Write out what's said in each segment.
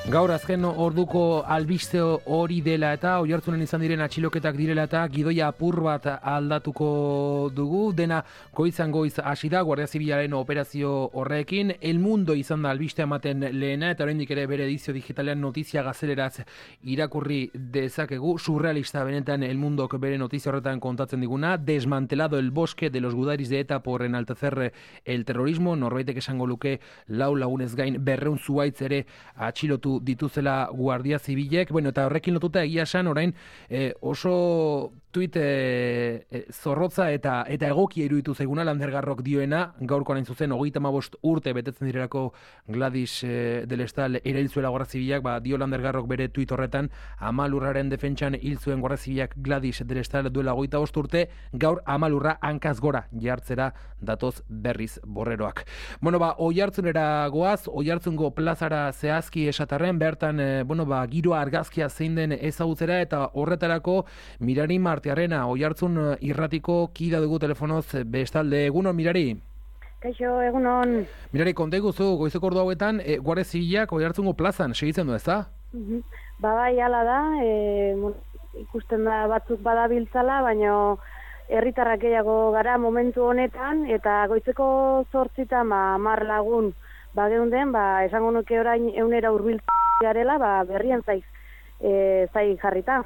Gaur azken orduko albiste hori dela eta Oiartzunen izan diren atxiloketak direla eta gidoia apur bat aldatuko dugu. Dena goizan goiz hasi da Guardia Zibilaren operazio horrekin. El Mundo izan da albistea ematen lehena eta oraindik ere bere edizio digitalean notizia gazeleraz irakurri dezakegu. Surrealista benetan El Mundok bere notizia horretan kontatzen diguna. Desmantelado el bosque de los gudaris de ETA por enaltecer el terrorismo. Norbaitek esango luke 4 lagunez gain 200 zuhaitz ere atxilotu dituzela Guardia Zibilek. Bueno, eta horrekin lotuta egia esan orain oso tuit zorrotza eta egokia iruditu zaiguna Landergarrok dioena, gaurkoan hain zuzen 35 urte betetzen direlako Gladys del Estal erail zuela Guardia Zibilak, dio Landergarrok bere tuit horretan, Amalurraren defentsan hil zuen Guardia Zibilak Gladys del Estal duela 25 urte, gaur Amalurra hankaz gora jartzera datoz berriz borreroak. Bueno, Oiartzunera goaz, Oiartzungo plazara zehazki esatarren, bertan, giroa argazkia zein den ezagutzera eta horretarako Mirari Martiarrena, Oiartzun irratiko kida dugu telefonoz bestalde. Egunon, Mirari? Kaixo, egunon. Mirari, konta iguzu, goizeko ordu hauetan, Guardia Zibilak Oiartzungo plazan segitzen du, ezta? Bai, hala da, ikusten da batzuk badabiltzala, baina herritarrak gehiago gara momentu honetan, eta goizeko 8 10 lagun bageunden, esango nuke orain 100 hurbiltzen garela, berrien zai jarrita.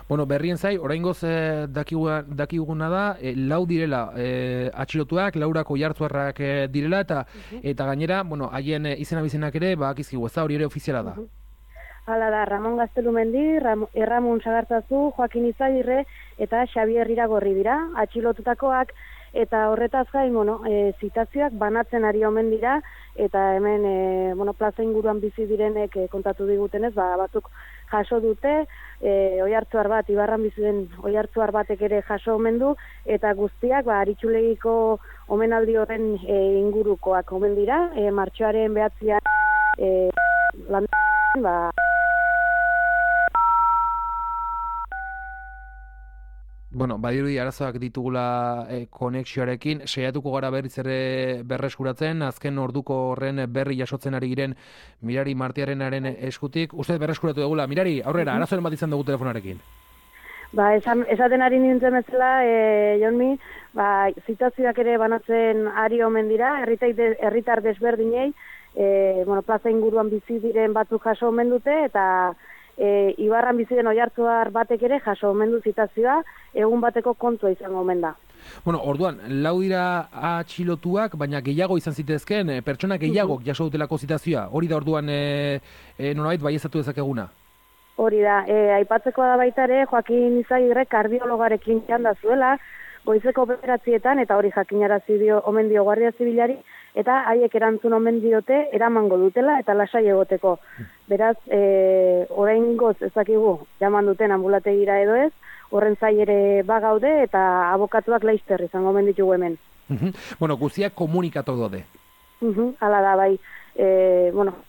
Bueno, berrien zai, oraingoz dakiguna da, 4 direla atxilotuak, 4 oiartzuarrak direla, eta gainera, haien izena bizenak ere, akizkigu, ez da, hori ere ofiziala da. Hala da, Ramon Gaztelumendi, Erramun Sagartzazu, Joakin Izagirre eta Xabier Iragorri dira, atxilotutakoak, eta horretaz gain, zitazioak banatzen ari omen dira, eta hemen, plaza inguruan bizi direnek kontatu digutenez, batzuk jaso dute, oiartzuar bat, Ibarran bizi den oiartzuar batek ere jaso omen du, eta guztiak, Aritxulegiko omenaldi horren ingurukoak omen dira, martxoaren 9 badirudi arazoak ditugula konexioarekin, saiatuko gara berriz ere berreskuratzen, azken orduko horren berri jasotzen ari giren Mirari Martiarrenaren eskutik. Uste berreskuratu dugula. Mirari, aurrera, arazoren bat izan dugu telefonarekin. Esaten ari nintzen bezala, Jonmi, zitazioak ere banatzen ari omen dira, herritar desberdinei, plaza inguruan bizi diren batzuk jaso omen dute, eta Ibarran bizi den oiartzuar batek ere jaso omen du zitazioa, egun bateko kontua izango omen da. Orduan, 4 dira atxilotuak, baina gehiago izan zitezken, pertsona gehiago jaso dutelako zitazioa. Hori da orduan nolabait baieztatu dezakeguna? Hori da, aipatzekoa da baita ere, Joakin Izagirre kardiologarekin txanda zuela, goizeko 9 eta hori jakinarazi omen dio Guardia Zibilari, eta haiek erantzun omen diote eramango dutela eta lasai egoteko. Beraz, oraingoz ezakigu jaman duten ambulategira edo ez, horren zai ere bagaude eta abokatuak laizter izango omen ditugu hemen. Guztiak komunikatu daude. Hala da, bai.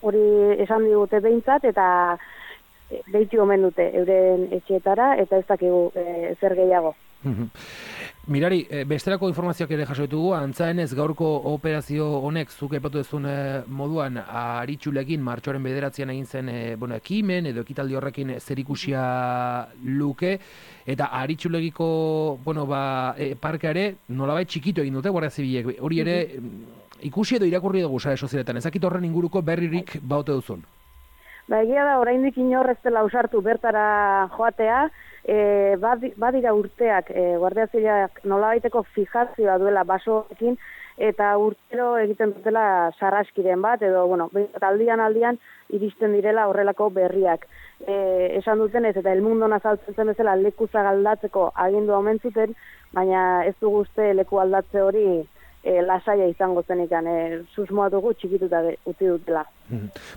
Hori esan digute behintzat eta behitu omen dute euren etxeetara eta ez dakigu zer gehiago. Mirari, besterako informazioak ere jaso ditugu, antzaenez gaurko operazio honek zuk aipatu duzun moduan Aritxulekin martxoaren 9 egin zen ekimen edo ekitaldi horrekin zerikusia luke, eta Aritxulegiko parkeare nolabait txikitu egin dute Guardia Zibilek. Hori ere ikusi edo irakurri dugu sare sozialetan, ezakit horren inguruko berririk baute duzun. Egia da, oraindik inor ez dela ausartu bertara joatea, badira urteak, Guardia Zibilak nolabaiteko fijazioa duela basoekin, eta urtero egiten dutela sarraskiren bat, edo, aldian iristen direla horrelako berriak. Esan dutenez, eta El Mundo azaltzen zen bezala lekuzak aldatzeko agindu omen zuten, baina ez dugu uste leku aldatze hori lasaia izango zenikan, susmoa dugu txikituta utzi dutela.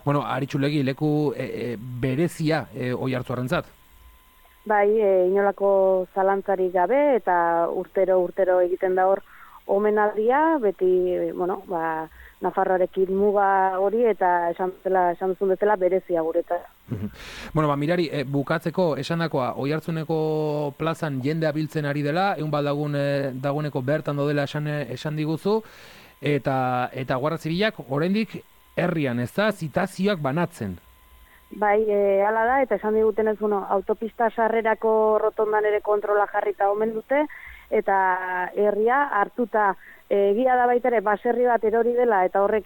Aritxulegi leku berezia oiartzuarrentzat? Bai, inolako zalantzarik gabe eta urtero egiten da hor omenaldia, beti, Nafarroarekin muga hori eta esan duzun bezala berezia guretzat. Mirari, bukatzeko esandakoa, Oiartzuneko plazan jendea biltzen ari dela, egun bat dagoeneko bertan daudela esan diguzu, eta Guardia Zibilak oraindik herrian, ez da, zitazioak banatzen. Bai, hala da, eta esan digutenez, autopista sarrerako rotondan ere kontrola jarrita omen dute, eta herria hartuta egia da baita ere baserri bat erori dela, eta horrek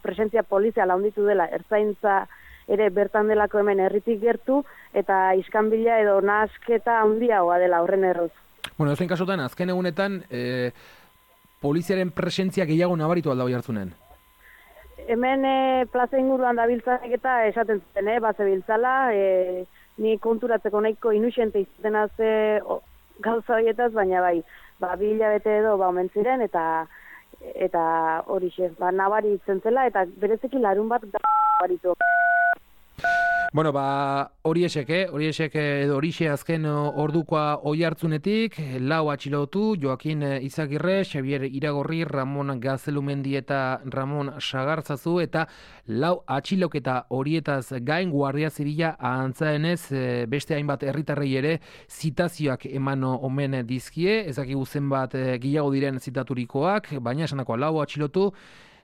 presentzia poliziala handitu dela, ertzaintza ere bertan delako hemen herritik gertu, eta iskanbila edo nahasketa handiagoa dela horren erruz. Bueno, ezen kasutan, azken egunetan, poliziaren presentzia gehiago nabaritu alda Oiartzunen? Hemen plaza inguruan dabiltzanek eta esaten zuten, bazebiltzala, ni konturatzeko nahiko inuxente izaten gauza horietaz, baina bai, bi hilabete edo omen ziren, eta horixe, nabaritzen zela, eta berezeki larun bat nabaritu. Bueno, horiexek edo horixe azken ordukoa Oiartzunetik, 4 atxilotu, Joakin Izagirre, Xabier Iragorri, Ramon Gazelumendi eta Ramon Sagartzazu, eta 4 atxiloketa horietaz gain Guardia Zibila antzaenez beste hainbat herritarrei ere zitazioak eman omen dizkie, ezakigu zenbat gehiago diren zitaturikoak, baina esanakoa 4 atxilotu,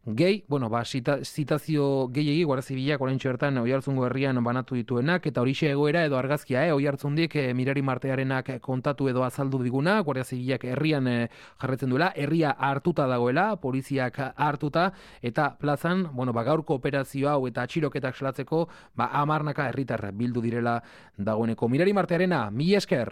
zitazio gehiegi Guardia Zibilak oraintxe bertan Oiartzungo herrian banatu dituenak, eta horixe egoera edo argazkia, Oiartzundik Mirari Martearenak kontatu edo azaldu diguna, Guardia Zibilak herrian jarretzen duela, herria hartuta dagoela, poliziak hartuta, eta plazan, gaurko operazio hau eta atxiloketak salatzeko, 10 herritar bildu direla dagoeneko. Mirari Martearena, mila esker!